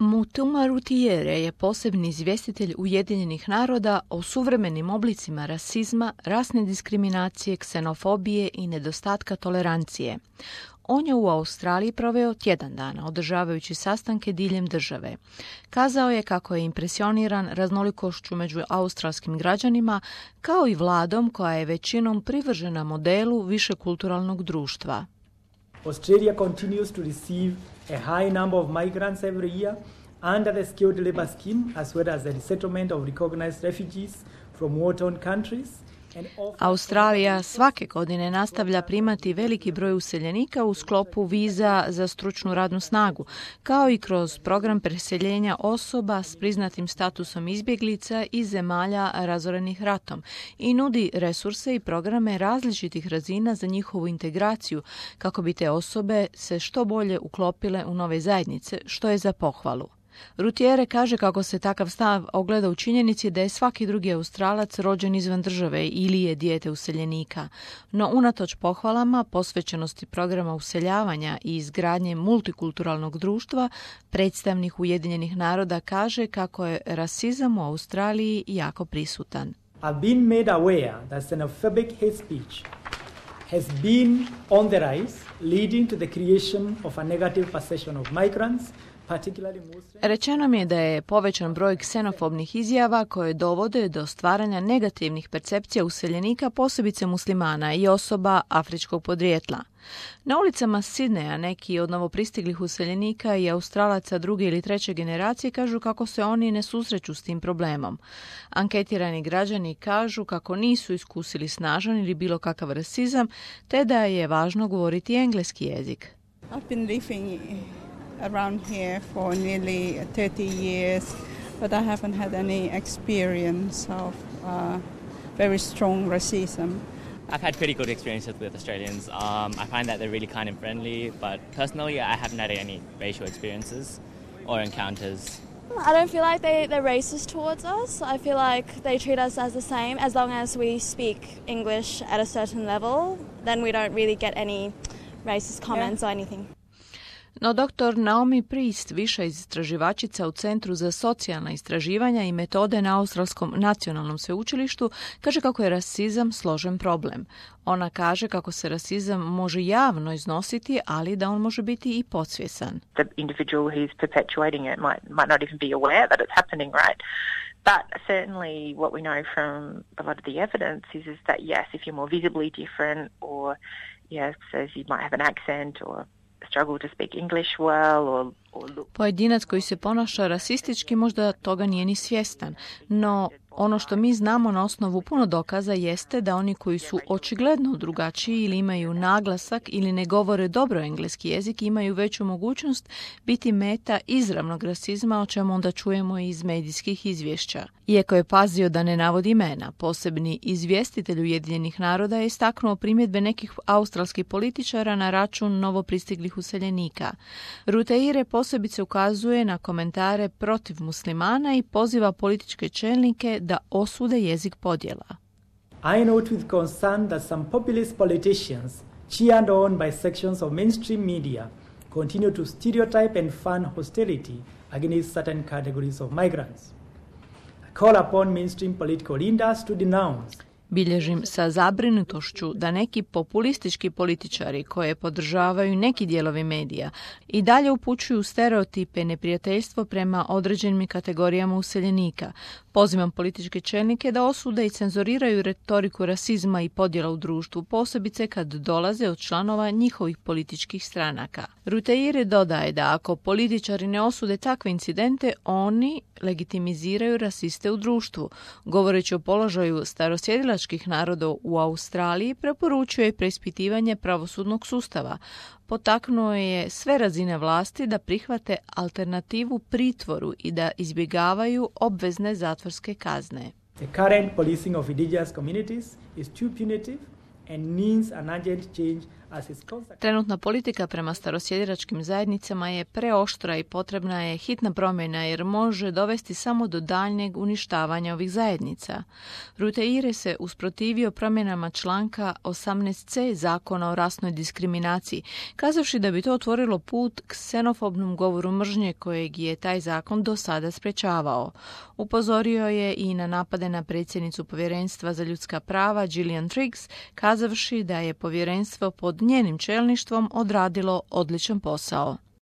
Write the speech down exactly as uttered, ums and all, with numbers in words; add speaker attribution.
Speaker 1: Mutuma Rutiere je posebni izvjestitelj Ujedinjenih naroda o suvremenim oblicima rasizma, rasne diskriminacije, ksenofobije i nedostatka tolerancije. On je u Australiji proveo tjedan dana, održavajući sastanke diljem države. Kazao je kako je impresioniran raznolikošću među australskim građanima, kao i vladom koja je većinom privržena modelu višekulturalnog društva.
Speaker 2: Australia continues to receive a high number of migrants every year under the skilled labor scheme, as well as the resettlement of recognized refugees from war-torn countries.
Speaker 1: Australija svake godine nastavlja primati veliki broj useljenika u sklopu viza za stručnu radnu snagu, kao i kroz program preseljenja osoba s priznatim statusom izbjeglica iz zemalja razorenih ratom i nudi resurse i programe različitih razina za njihovu integraciju kako bi te osobe se što bolje uklopile u nove zajednice, što je za pohvalu. Rutiere kaže kako se takav stav ogleda u činjenici da je svaki drugi Australac rođen izvan države ili je dijete useljenika. No unatoč pohvalama, posvećenosti programa useljavanja i izgradnje multikulturalnog društva, predstavnik Ujedinjenih naroda kaže kako je rasizam u Australiji jako prisutan.
Speaker 2: I've been made aware that xenophobic hate speech has been on the rise, leading to the creation of a negative perception of migrants.
Speaker 1: Rečeno mi je da je povećan broj ksenofobnih izjava koje dovode do stvaranja negativnih percepcija useljenika, posebice muslimana i osoba afričkog podrijetla. Na ulicama Sidneja neki od novopristiglih useljenika i Australaca druge ili treće generacije kažu kako se oni ne susreću s tim problemom. Anketirani građani kažu kako nisu iskusili snažan ili bilo kakav rasizam, te da je važno govoriti engleski jezik.
Speaker 3: I've been living around here for nearly thirty years, but I haven't had any experience of uh, very strong racism.
Speaker 4: I've had pretty good experiences with Australians. Um, I find that they're really kind and friendly, but personally I haven't had any racial experiences or encounters.
Speaker 5: I don't feel like they, they're racist towards us. I feel like they treat us as the same. As long as we speak English at a certain level, then we don't really get any racist comments yeah. or anything.
Speaker 1: No doktor Naomi Priest, viša istraživačica u Centru za socijalna istraživanja i metode na Australskom nacionalnom sveučilištu, kaže kako je rasizam složen problem. Ona kaže kako se rasizam može javno iznositi, ali da on može biti i podsvjesan.
Speaker 6: The individual who's perpetuating it might, might not even be aware that it's happening, right? But certainly what we know from a lot of the evidence is, is that yes, if you're more visibly different or yes, so you might have an accent or struggle to speak English well or, or look.
Speaker 1: Pojedinac koji se ponaša rasistički možda toga nije ni svjestan, no ono što mi znamo na osnovu puno dokaza jeste da oni koji su očigledno drugačiji ili imaju naglasak ili ne govore dobro engleski jezik imaju veću mogućnost biti meta izravnog rasizma, o čemu onda čujemo iz medijskih izvješća. Iako je pazio da ne navodi imena, posebni izvjestitelj Ujedinjenih naroda je istaknuo primjedbe nekih australskih političara na račun novopristiglih useljenika. Rutiere posebice ukazuje na komentare protiv muslimana i poziva političke čelnike da osude jezik podjela.
Speaker 2: I note with concern that some populist politicians, cheered on by sections of mainstream media, continue to stereotype and fund hostility against certain categories of migrants. I call upon mainstream political leaders to denounce.
Speaker 1: Bilježim sa zabrinutošću da neki populistički političari koje podržavaju neki dijelovi medija i dalje upućuju stereotipe i neprijateljstvo prema određenim kategorijama useljenika. Pozivam političke čelnike da osude i cenzoriraju retoriku rasizma i podjela u društvu, posebice kad dolaze od članova njihovih političkih stranaka. Rutiere dodaje da ako političari ne osude takve incidente, oni legitimiziraju rasiste u društvu. Govoreći o položaju starosjedilačkih naroda u Australiji, preporučuje preispitivanje pravosudnog sustava. Potaknuo je sve razine vlasti da prihvate alternativu pritvoru i da izbjegavaju obvezne zatvorske kazne.
Speaker 2: The current policing of indigenous communities is too punitive and needs an urgent change
Speaker 1: Trenutna politika prema starosjediračkim zajednicama je preoštra i potrebna je hitna promjena jer može dovesti samo do daljnjeg uništavanja ovih zajednica. Rute Ire se usprotivio promjenama članka osamnaest ce zakona o rasnoj diskriminaciji, kazavši da bi to otvorilo put k ksenofobnom govoru mržnje kojeg je taj zakon do sada sprečavao. Upozorio je i na napade na predsjednicu Povjerenstva za ljudska prava Gillian Triggs, kazavši da je povjerenstvo pod njenim čelništvom odradilo odličan posao.